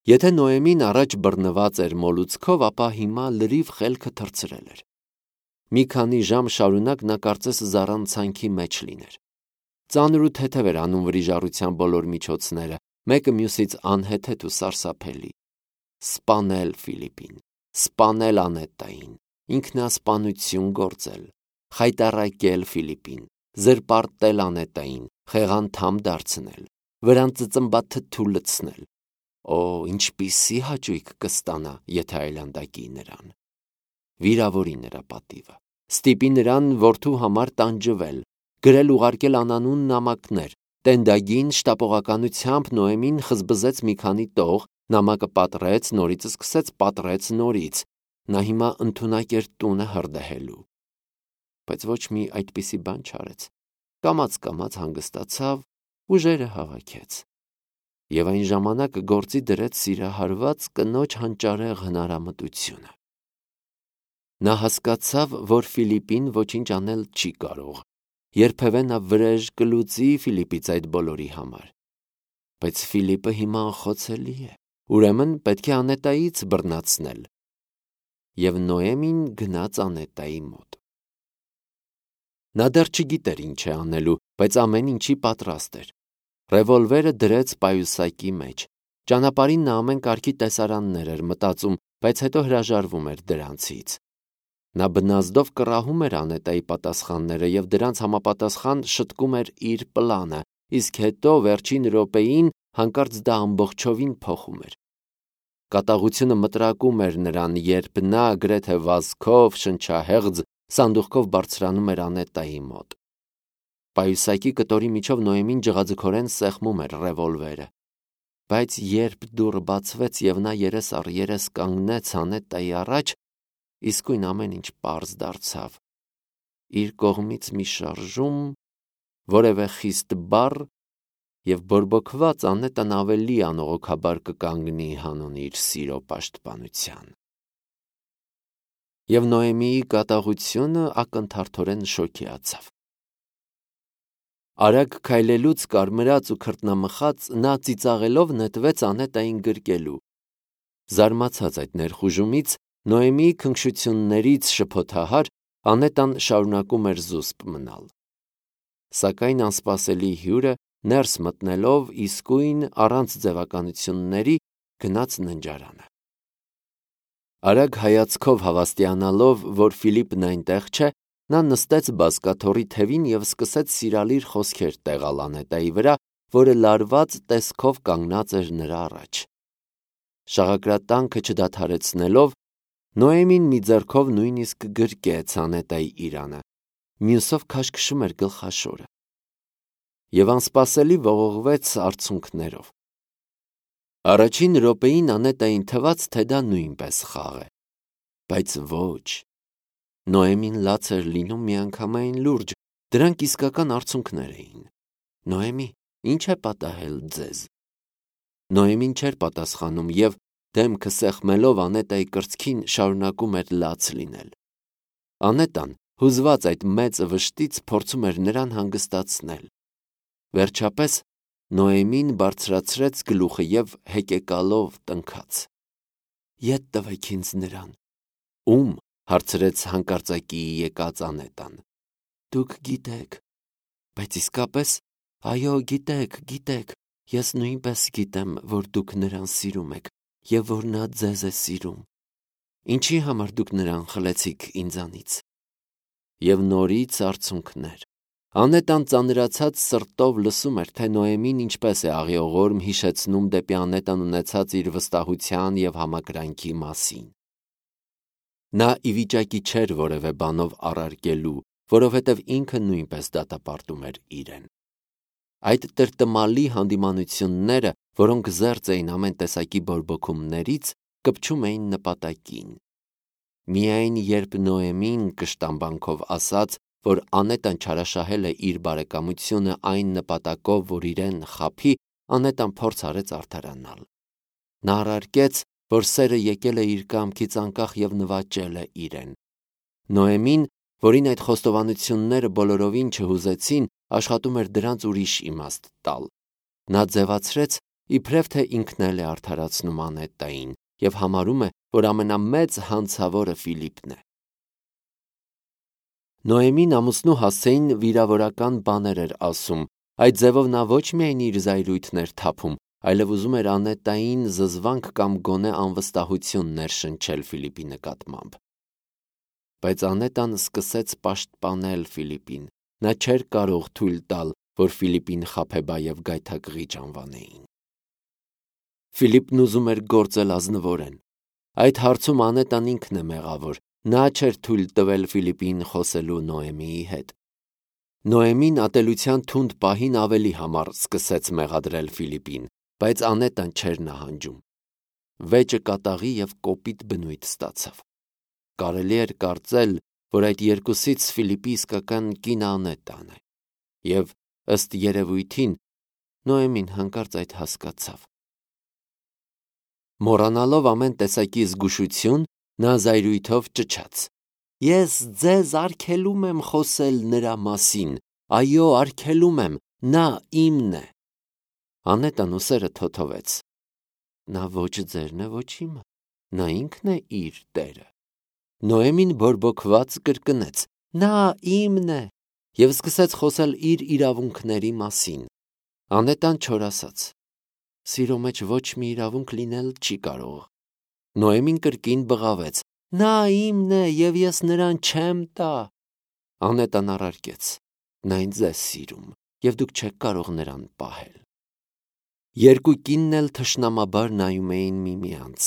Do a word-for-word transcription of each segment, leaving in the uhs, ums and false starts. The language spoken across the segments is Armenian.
Եթե Նոեմին առաջ բռնված էր մոլուցքով, ապա հիմա լրիվ խելքը թռցրել էր։ Մի քանի ժամ շարունակ նա կարծես զառանցանքի մեջ լիներ։ Ծանր ու թեթև էր անում վրիժառության բոլոր միջոցները, մեկը մյուսից անհեթեթ ու սարսափելի։ Սպանել Ֆիլիպին, սպանել Անետային, ինքնասպանություն գործել, խայտառակել Ֆիլիպին, զրպարտել Անետային, խեղանդամ դարձնել, վրան ծծմբաթթու լցնել։ Օ, ինչպիսի հաճույք կստանա, եթե այլանդակի նրան։ Վիրավորի նրա պատիվը, ստիպի նրան որդու համար տանջվել, գրել ուղարկել անանուն նամակներ, տենդագին շտապողականությամբ Նոեմին խզբզեց մի քանի տող, նամակը պատռեց, նորից սկսեց, պատռեց նորից, նա հիմա ընդունակ էր տունը հրդեհելու։ Բայց ոչ մի այդպիսի բան չարեց, կամաց-կամաց հանգստացավ, ուժերը հավաքեց։ Եվ այն ժամանակ գործի դրեց սիրահարված կնոջ հանճարեղ հնարամտությունը։ Նա հասկացավ, որ Ֆիլիպին ոչինչ անել չի կարող, երբևէ նա վրեժ կլուծի Ֆիլիպից այդ բոլորի համար։ Բայց Ֆիլիպը հիմա անխոցելի է, ուրեմն պետք է Անետայից բռնացնել։ Եվ Նոեմին գնաց Անետայի մոտ։ Նա դեռ չգիտեր ինչ է անելու, բայց ամեն ինչի պատրաստ էր։ Ռևոլվերը դրեց պայուսակի մեջ։ Ճանապարհին նա ամեն կարգի տեսարաններ էր մտածում, բայց հետո հրաժարվում էր դրանցից։ Նա բնազդով կռահում էր Անետայի պատասխանները և դրանց համապատասխան շտկում էր իր պլանը, իսկ հետո վերջին րոպեին հանկարծ դա ամբողջովին փոխում էր։ Կատաղությունը մտրակում էր նրան, երբ նա գրեթե վազքով, շնչահեղձ սանդուղքով բարձրանում էր Անետայի մոտ։ Պայուսակի կտորի միջով Նոեմին ջղաձգորեն սեղմում էր ռևոլվերը։ Բայց երբ դուռը բացվեց և նա երես առ երես կանգնեց Անետայի առաջ, իսկույն ամեն ինչ պարզ դարձավ։ Իր կողմից մի շարժում, որևէ խիստ բառ, և բորբոքված Անետան ավելի անողոքաբար կկանգնի հանուն իր սիրո պաշտպանության։ Եվ Նոեմիի կատաղությունը ակնթարթորեն շոկեացավ։ Արագ քայլելուց կարմրած ու քրտնամխած նա ծիծաղելով նետվեց Անետային գրկելու։ Զարմացած այդ ներխուժումից, Նոեմիի քնքշություններից շփոթահար, Անետան շարունակում էր զուսպ մնալ։ Սակայն անսպասելի հյուրը ներս մտնելով իսկույն առանց ձևականությունների գնաց ննջարանը։ Արագ հայացքով հավաստիանալով, որ Ֆիլիպն այնտեղ չէ, նա նստեց բազկաթոռի թևին և սկսեց սիրալիր խոսքեր տեղալ Անետայի վրա, որը լարված տեսքով կանգնած էր նրա առաջ։ Շաղակրատանքը չդադարեցնելով, Նոեմին մի ձեռքով նույնիսկ գրկեց Անետայի իրանը, մյուսով քաշքշում էր գլխաշորը։ Եվ անսպասելի ողողվեց արցունքներով։ Առաջին րոպեին Անետային թվաց, թե դա նույնպես խաղ է։ Բայց ոչ։ Նոեմին լաց էր լինում միանգամայն լուրջ, դրանք իսկական արցունքներ էին։ Նոեմի, ի՞նչ է պատահել ձեզ։ Նոեմին չէր պատասխանում և, դեմքը սեղմելով Անետայի կրծքին, շարունակում էր լաց լինել։ Անետան, հուզված այդ մեծ վշտից, փորձում էր նրան հանգստացնել։ Վերջապես Նոեմին բարձրացրեց գլուխը և հեկեկալով տնքաց. «Ետ տվեք ինձ նրան»։ Ո՞ւմ, հարցրեց հանկարծակիի եկած Անետան։ Դուք գիտեք։ Բայց իսկապես, այո, գիտեք, գիտեք, ես նույնպես գիտեմ, որ դուք նրան սիրում եք և որ նա ձեզ է սիրում։ Ինչի համար դուք նրան խլեցիք ինձանից։ Եվ նորից արցունքներ։ Անետան ծանրացած սրտով լսում էր, թե Նոեմին ինչպես է աղիողորմ հիշեցնում դեպի Անետան ունեցած իր վստահության և համակրանքի մասին։ Նա ի վիճակի չէր որևէ բանով առարկելու, որովհետև ինքը նույնպես դատապարտում էր իրեն։ Այդ տրտմալի հանդիմանությունները, որոնք զերծ էին ամեն տեսակի բորբոքումներից, կպչում էին նպատակին։ Միայն երբ Նոեմին կշտամբանքով ասաց, որ Անետան չարաշահել է իր բարեկամությունը այն նպատակով, որ իրեն խաբի, Անետան փորձ արեց արդարանալ։ Նա առարկեց, որ սերը եկել է իր կամքից անկախ և նվաճել է իրեն։ Նոեմին, որին այդ խոստովանությունները բոլորովին չհուզեցին, աշխատում էր դրանց ուրիշ իմաստ տալ։ Նա ձևացրեց, իբրև թե ինքն էլ է արդարացնում Անետային և համարում է, որ ամենամեծ հանցավորը Ֆիլիպն է։ Նոեմին ամուսնու հասցեին վիրավորական բաներ էր ասում, այդ ձևով նա ոչ միայն իր զայրույթն էր թափում, այլև ուզում էր Անետային զզվանք կամ գոնե անվստահություն ներշնչել Ֆիլիպի նկատմամբ։ Բայց Անետան սկսեց պաշտպանել Ֆիլիպին, նա չէր կարող թույլ տալ, որ Ֆիլիպին խաբեբա և գայթակղիչ անվանեին։ Ֆիլիպն ուզում էր գործել ազնվորեն։ Այդ հարցում Անետան ինքն է մեղավոր, նա չէր թույլ տվել Ֆիլիպին խոսելու Նոեմիի հետ։ Նոեմին ատելության թունդ պահին ավելի համար սկսեց մեղադրել Ֆիլիպին, բայց Անետան չէր նահանջում։ Վեճը կատաղի և կոպիտ բնույթ ստացավ։ Կարելի էր կարծել, որ այդ երկուսից Ֆիլիպի իսկական կինը Անետան է, և ըստ երևույթին Նոեմին հանկարծ այդ հասկացավ։ Մոռանալով ամեն տեսակի զգուշություն, նա զայրույթով ճչաց. «Ես ձեզ արգելում եմ խոսել նրա մասին, այո, արգելում եմ, նա իմն է»։ Անետան ուսերը թոթվեց։ Նա ոչ ձերն է, ոչ իմը, նա ինքն է իր տերը։ Նոեմին բորբոքված կրկնեց. «Նա իմն է» և սկսեց խոսել իր իրավունքների մասին։ Անետան չորասաց։ Սիրո մեջ ոչ մի իրավունք լինել չի կարող։ Նոեմին կրկին բղավեց. «Նա իմն է և ես նրան չեմ տա»։ Անետան առարկեց. «Նա ինձ է սիրում, և դուք չեք կարող նրան պահել»։ Երկու կինն էլ թշնամաբար նայում էին միմյանց։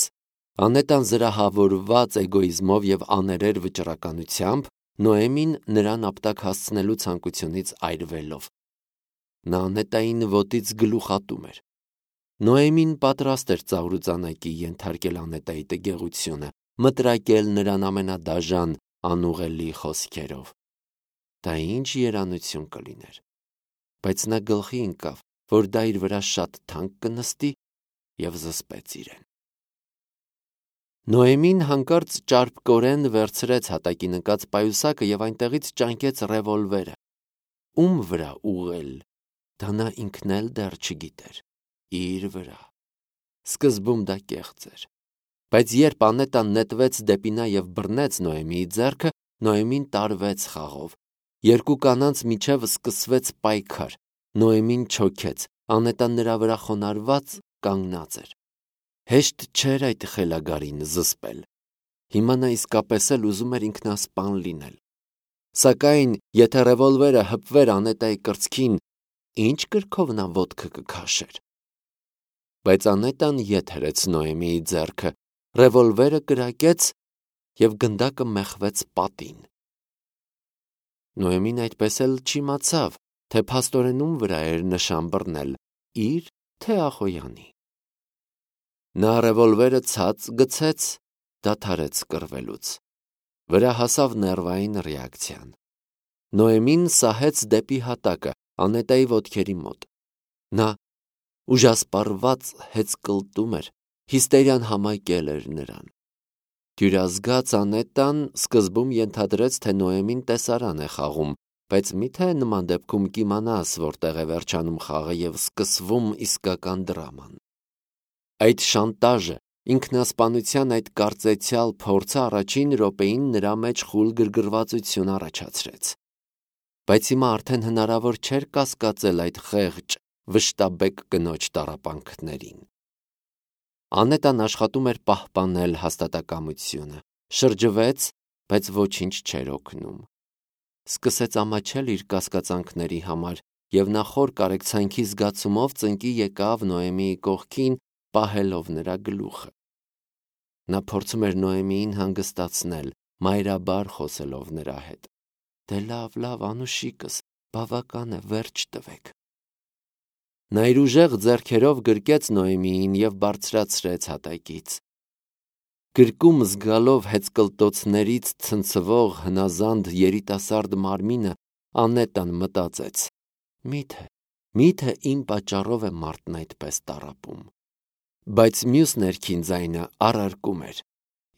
Անետան զրահավորված էգոիզմով և աներեր վճռականությամբ, Նոեմին նրան ապտակ հասցնելու ցանկությունից այրվելով։ Նա Անետային ոտից գլուխ ատում էր։ Նոեմին պատրաստ էր ծաղրուծանակի ենթարկել Անետայի տգեղությունը, մտրակել նրան ամենադաժան, անուղելի խոսքերով։ Դա ինչ երանություն կլիներ։ Բայց նա գլխի ընկավ, որ դա իր վրա շատ թանկ կնստի, և զսպեց իրեն։ Նոեմին հանկարծ ճարպկորեն վերցրեց հատակի նկած պայուսակը և այնտեղից ճանկեց ռևոլվերը։ Ում վրա ուղղել, դա նա ինքն էլ դեռ չգիտեր։ Իր վրա։ Սկզբում դա կեղծ էր։ Բայց երբ Անետան նետվեց դեպի նա և բռնեց Նոեմիի ձեռքը, Նոեմին տարվեց խաղով։ Երկու կանանց միջև սկսվեց պայքար։ Նոեմին չոքեց, Անետան նրա վրա խոնարհված կանգնած էր։ Հեշտ չէր այդ խելագարին զսպել։ Հիմա նա իսկապես էլ ուզում էր ինքնասպան լինել։ Սակայն եթե ռևոլվերը հպվեր Անետայի կրծքին, ի՞նչ կրքով նա ոտքը կքաշեր։ Բայց Անետան ետ հրեց Նոեմիի ձեռքը, ռևոլվերը կրակեց և գնդակը մեխվեց պատին։ Նոեմին այդպես էլ չիմացավ, թե փաստորեն ում վրա էր նշան բռնել՝ իր, թե Ախոյանի։ Նա ռևոլվերը ցած գցեց, դադարեց կռվելուց։ Վրա հասավ ներվային ռեակցիան։ Նոեմին սահեց դեպի հատակը, Անետայի ոտքերի մոտ։ Նա ուժասպառված հեծկլտում էր, հիստերիան համակել էր նրան։ Դյուրազգաց Անետան սկզբում ենթադրեց, թե Նոեմին տեսարան է խաղում, բայց մի՞թե նման դեպքում կիմանաս որտեղ է վերջանում խաղը և սկսվում իսկական դրաման։ Այդ շանտաժը, ինքնասպանության այդ կարծեցյալ փորձը առաջին րոպեին նրա մեջ խուլ գրգռվածություն առաջացրեց։ Բայց հիմա արդեն հնարավոր չէր կասկածել այդ խեղճ, վշտաբեկ կնոջ տառապանքներին։ Անետան աշխատում էր պահպանել հաստատակամությունը, շրջվեց, բայց ոչինչ չէր օգնում։ Սկսեց ամաչել իր կասկածանքների համար և նախոր կարեկցանքի զգացումով ծնկի եկավ Նոեմիի կողքին, պահելով նրա գլուխը։ Նա փորձում էր Նոեմիին հանգստացնել, մայրաբար խոսելով նրա հետ։ «Դե լավ, լավ, անուշիկս, բավական է, վերջ տվեք»։ Նա իր ուժեղ ձեռքերով գրկեց Նոեմիին և բարձրացրեց հատակից։ Գրկում զգալով հեծկլտոցներից ցնցվող հնազանդ երիտասարդ մարմինը, Անետան մտածեց. «Մի՞թե, մի՞թե իմ պատճառով է մարդն այդպես տառապում»։ Բայց մյուս ներքին ձայնը առարկում էր.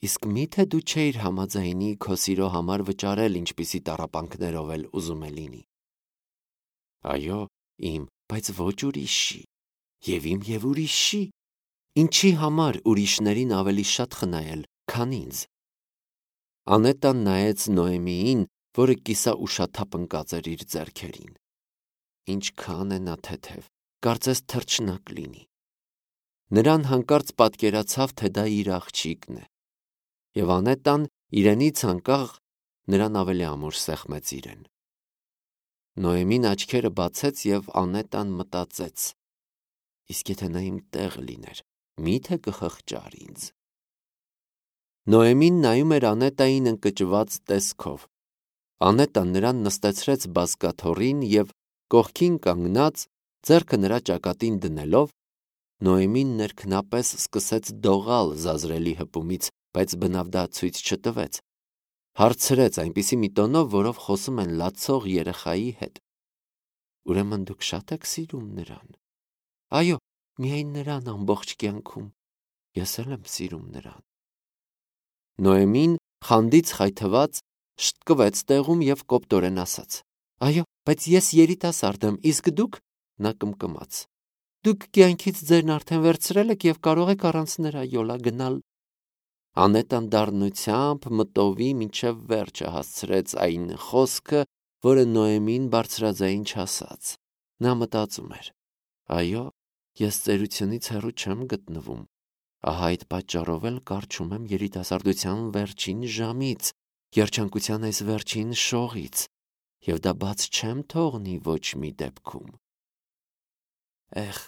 «Իսկ մի՞թե դու չէիր համաձայնի քո սիրո համար վճարել ինչպիսի տառապանքներով էլ ուզում է լինի»։ «Այո, իմ, բայց ոչ ուրիշի»։ Եվ իմ և ուրիշի, ինչի համար ուրիշներին ավելի շատ խնայել, քան ինձ։ Անետան նայեց Նոեմիին, որը կիսաուշաթափ ընկած էր իր ձեռքերին։ Ինչքան է նա թեթև, կարծես թռչնակ լինի։ Նրան հանկարծ պատկերացավ, թե դա իր աղջիկն է, և Անետան իրենից անկախ նրան ավելի ամուր սեղմեց իրեն։ Նոեմին աչքերը բացեց և Անետան մտածեց. իսկ եթե նա իմ տեղը լիներ, մի՞թե կխղճար ինձ։ Նոեմին նայում էր Անետային ընկճված տեսքով։ Անետան նրան նստեցրեց բազկաթոռին և կողքին կանգնած, ձեռքը նրա ճակատին դնելով, Նոեմին ներքնապես սկսեց դողալ զազրելի հպումից, բայց բնավ դա ցույց չտվեց։ Հարցրեց այնպիսի մի տոնով, որով խոսում են լացող երեխայի հետ. ուրեմն դուք շատ եք սիրում նրան։ Այո, միայն նրան ամբողջ կյանքում, ես էլ եմ սիրում նրան։ Նոեմին խանդից խայթված շտկվեց տեղում և կոպտորեն ասաց. այո, բայց ես երիտասարդ եմ, իսկ դուք, նա կմկմաց, դուք կյանքից ձերն արդեն վերցրել եք և կարող եք առանց նրա յոլա գնալ։ Անետան դառնությամբ մտովի մինչև վերջը հասցրեց այն խոսքը, որը Նոեմին բարձրաձայն չասաց։ Նա մտածում էր. այո, ես ծերությունից հեռու չեմ գտնվում, ահա այդ պատճառով էլ կառչում եմ երիտասարդության վերջին ժամից, երջանկության այս վերջին շողից, և դա բաց չեմ թողնի ոչ մի դեպքում։ Էխ,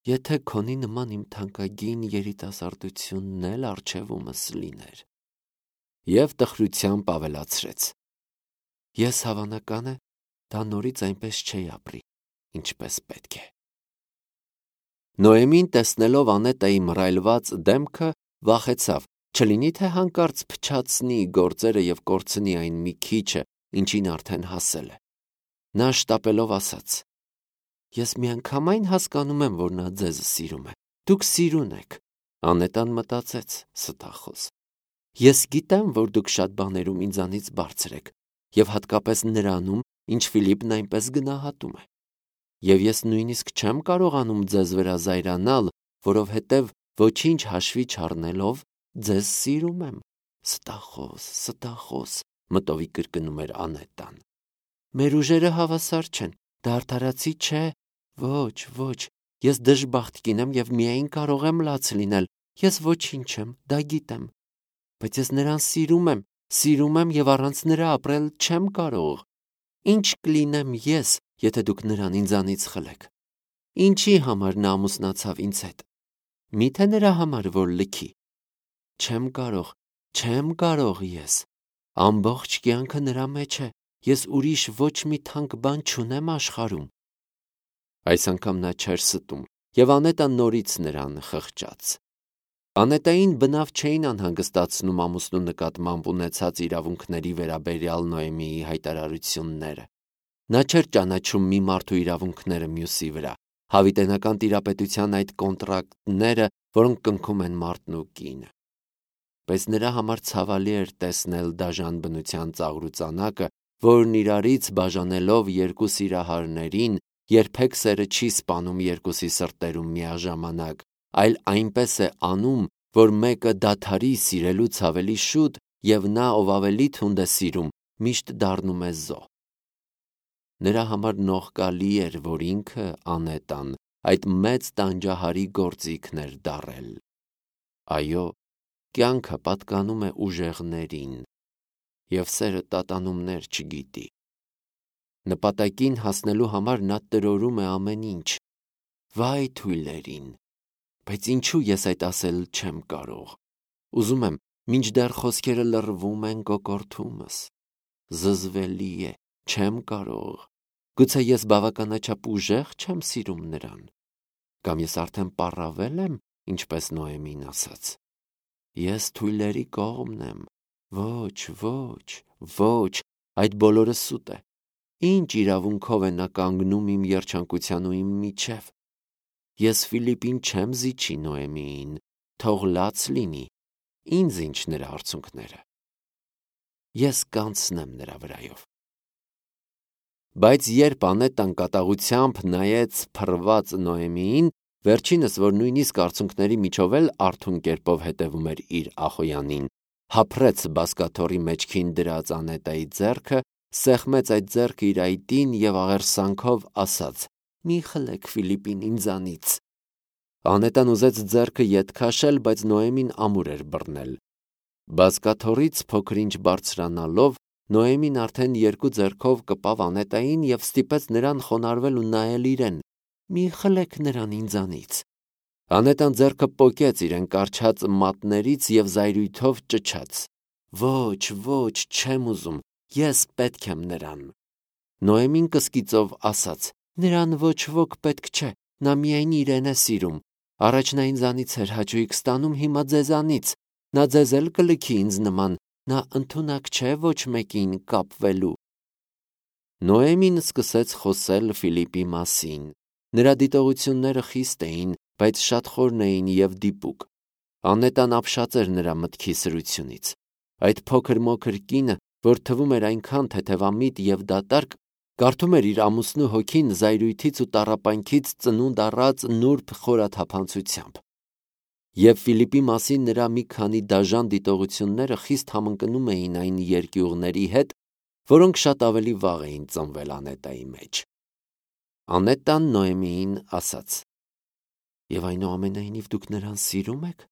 եթե քոնի նման իմ թանկագին երիտասարդությունն էլ առջևումս լիներ։ Եվ տխրությամբ ավելացրեց. ես հավանական է, դա նորից այնպես չի ապրի, ինչպես պետք է։ Նոեմին տեսնելով Անետայի մռայլված դեմքը, վախեցավ, չլինի թե հանկարծ փչացնի գործերը և կորցնի այն մի քիչը, ինչին արդեն հասել է։ Նա շտապելով ասաց. ես միանգամայն հասկանում եմ, որ նա ձեզ սիրում է, դուք սիրուն եք։ Անետան մտածեց. ստախոս։ Ես գիտեմ, որ դուք շատ բաներում ինձանից բարձր եք, և հատկապես նրանում, ինչ Ֆիլիպն այնպես գնահատում է։ Եվ ես նույնիսկ չեմ կարողանում ձեզ վրա զայրանալ, որովհետև ոչինչ հաշվի չառնելով, ձեզ սիրում եմ։ Ստախոս, ստախոս, մտովի կրկնում էր Անետան։ Մեր ուժերը հավասար չեն, դա արդարացի չէ։ Ոչ, ոչ, ես դժբախտ կին եմ և միայն կարող եմ լաց լինել, ես ոչինչ չեմ, դա գիտեմ։ Բայց ես նրան սիրում եմ, սիրում եմ և առանց նրա ապրել չեմ կարող։ Ինչ կլինեմ ես, եթե դուք նրան ինձանից խլեք։ Ինչի համար նա ամուսնացավ ինձ հետ։ Մի՞թե նրա համար, որ լքի։ Չեմ կարող, չեմ կարող ես։ Ամբողջ կյանքը նրա մեջ է, ես ուրիշ ոչ մի թանկ բան չունեմ աշխարհում։ Այս անգամ նա չէր ստում, և Անետան նորից նրան խղճաց։ Անետային բնավ չէին անհանգստացնում ամուսնու նկատմամբ ունեցած իրավունքների վերաբերյալ Նոեմիի հայտարարությունները։ Նա չէր ճանաչում մի մարդու իրավունքները մյուսի վրա, հավիտենական տիրապետության այդ կոնտրակտները, որոնք կնքում են մարդն ու կինը։ Բայց նրա համար ցավալի էր տեսնել դաժան բնության ծաղրուծանակը, որն իրարից բաժանելով երկու սիրահարներին, երբեք սերը չի սպանում երկուսի սրտերում միաժամանակ, այլ այնպես է անում, որ մեկը դադարի սիրելուց ավելի շուտ, և նա, ով ավելի թունդ է սիրում, միշտ դառնում է զոհ։ Նրա համար նողկալի էր, որ ինքը, Անետան, այդ մեծ տանջահարի գործիքն էր դառել։ Այո, կյանքը պատկանում է ուժեղներին, և սերը տատանումներ չգիտի։ Նպատակին հասնելու համար նա տրորում է ամեն ինչ։ Վայ թույլերին, բայց ինչու ես այդ ասել չեմ կարող։ Ուզում եմ, մինչդեռ խոսքերը լռվում են կոկորդումս։ Զզվելի է, չեմ կարող։ Գուցե ես բավականաչափ ուժեղ չեմ սիրում նրան։ Կամ ես արդեն պառավել եմ, ինչպես Նոեմին ասաց։ Ես թույլերի կողմն եմ։ Ոչ, ոչ, ոչ, այդ բոլորը սուտ է։ Ինչ իրավունքով է նա կանգնում իմ երջանկության ու իմ միջև։ Ես Ֆիլիպին չեմ զիջի Նոեմիին, թող լաց լինի, ինձ ինչ նրա արցունքները։ Ես կանցնեմ նրա վրայով։ Բայց երբ Անետան կատաղությամբ նայեց փռված Նոեմիին, վերջինս, որ նույնիսկ արցունքների միջով էլ արթուն կերպով հետևում էր իր ախոյանին, հափռեց բազկաթոռի մեջքին դրած Անետայի ձեռքը, սեղմեց այդ ձեռքը իր այտին և աղերսանքով ասաց. «Մի խլեք Ֆիլիպին ինձանից»։ Անետան ուզեց ձեռքը ետ քաշել, բայց Նոեմին ամուր էր բռնել։ Բազկաթոռից փոքր-ինչ բարձրանալով, Նոեմին արդեն երկու ձեռքով կպավ Անետային և ստիպեց նրան խոնարհվել ու նայել իրեն։ «Մի խլեք նրան ինձանից»։ Անետան ձեռքը պոկեց իրեն կառչած մատներից և զայրույթով ճչաց. «Ոչ, ոչ, չեմ ուզում, ես պետք եմ նրան»։ Նոեմին կսկիծով ասաց. «Նրան ոչ ոք պետք չէ, նա միայն իրեն է սիրում։ Առաջ նա ինձանից էր հաճույք ստանում, հիմա ձեզանից։ Նա ձեզ էլ կլքի ինձ նման, նա ընդունակ չէ ոչ մեկին կապվելու»։ Նոեմին սկսեց խոսել Ֆիլիպի մասին։ Նրա դիտողությունները խիստ էին, բայց շատ խորն էին և դիպուկ։ Անետան ապշած էր նրա մտքի սրությունից։ Այդ փոքր-մոքր կինը, որ թվում էր այնքան թեթևամիտ և դատարկ, կարդում էր իր ամուսնու հոգին զայրույթից ու տառապանքից ծնունդ առած նուրբ խորաթափանցությամբ։ Եվ Ֆիլիպի մասին նրա մի քանի դաժան դիտողությունները խիստ համընկնում էին այն երկյուղների հետ, որոնք շատ ավելի վաղ էին ծնվել Անետայի մեջ։ Անետան Նոեմիին ասաց. «Եվ այնուամենայնիվ դուք նրան սիրում եք»։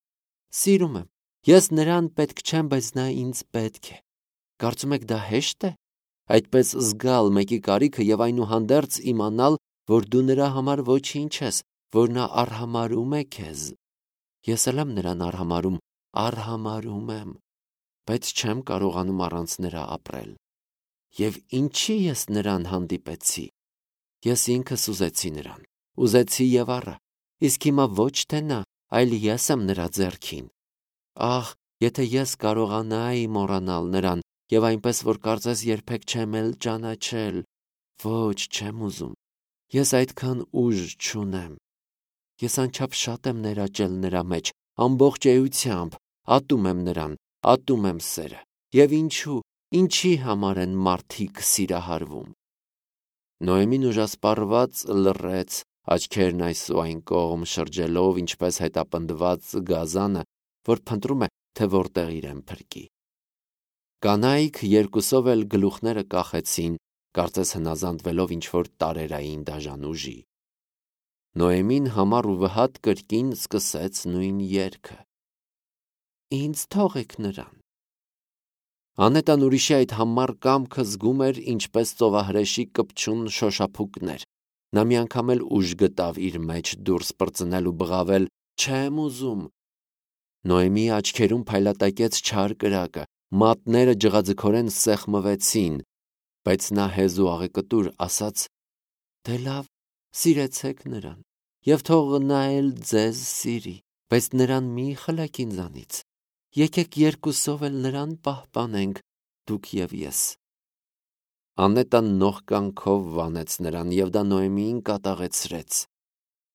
«Սիրում եմ, ես նրան պետք չեմ, բայց նա ինձ պետք է»։ «Կարծում եք դա հեշտ է, այդպես զգալ մեկի կարիքը և այնուհանդերձ իմանալ, որ դու նրա համար ոչինչ ես, որ նա արհամարհում է քեզ»։ «Ես էլ եմ նրան արհամարհում, արհամարհում եմ, բայց չեմ կարողանում առանց նրա ապրել»։ «Եվ ինչի՞ ես նրան հանդիպեցի։ Ես ինքս ուզեցի նրան, ուզեցի և առա, իսկ հիմա ոչ թե նա, այլ ես եմ նրա ձեռքին։ Ահ, եթե ես կարողանայի մոռանալ նրան և այնպես, որ կարծես երբեք չեմ էլ ճանաչել։ Ոչ, չեմ ուզում, ես այդքան ուժ չունեմ։ Ես անչափ շատ եմ ներաճել նրա մեջ, ամբողջ էությամբ, ատում եմ նրան, ատում եմ սերը։ Եվ ինչու, ինչի համար են մարդիկ սիրահարվում»։ Նոեմին ուժասպառված լռեց, աչքերն այս ու այն կողմ շրջելով, ինչպես հետապնդված գազանը, որ փնտրում է, թե որտեղ իրեն փրկի։ Կանայք երկուսով էլ գլուխները կախեցին, կարծես հնազանդվելով ինչ-որ տարերային դաժան ուժի։ Նոեմին համառ ու վհատ կրկին սկսեց նույն երգը. «Ինձ թողեք նրան»։ Անետան ուրիշի այդ համառ կամքը զգում էր ինչպես ծովահրեշի կպչուն շոշափուկներ։ Նա մի անգամ էլ ուժ գտավ իր մեջ դուրս պրծնել ու բղավել. «Չեմ ուզում»։ Նոեմիի աչքերում փայլատակեց չար կրակը, մատները ջղաձգորեն սեղմվեցին, բայց նա հեզ ու աղեկտուր ասաց. «Դե լավ, սիրեցեք նրան, և թող նա էլ ձեզ սիրի, բայց նրան մի խլեք ինձանից։ Եկեք երկուսով էլ նրան պահպանենք, դուք և ես»։ Անետան նողկանքով վանեց նրան, և դա Նոեմիին կատաղեցրեց։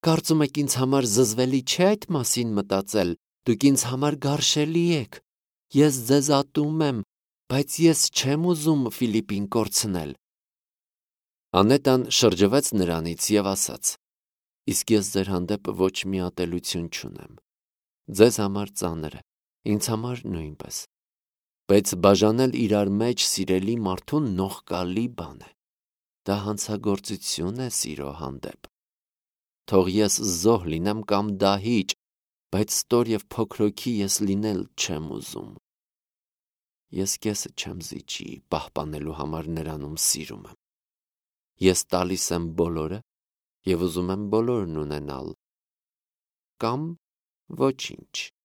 «Կարծում եք ինձ համար զզվելի չէ այդ մասին մտածել, դուք ինձ համար գարշելի եք։ Ես ձեզ ատում եմ, բայց ես չեմ ուզում Ֆիլիպին կորցնել»։ Անետան շրջվեց նրանից և ասաց. «Իսկ ես ձեր հանդեպ ոչ մի ատելություն չունեմ։ Ձեզ համար ծանր է, ինձ համար նույնպես։ Բայց բաժանել իրար մեջ սիրելի մարդուն նողկալի բան է։ Դա հանցագործություն է սիրո հանդեպ։ Թող ես զոհ լինեմ կամ դահիճ, բայց ստոր և փոքրոքի ես լինել չեմ ուզում։ Ես կեսը չեմ զիջի պահպանելու համար նրան, ում սիրում եմ։ Ես տալիս եմ բոլորը և ուզում եմ բոլորն ունենալ, կամ ոչինչ»։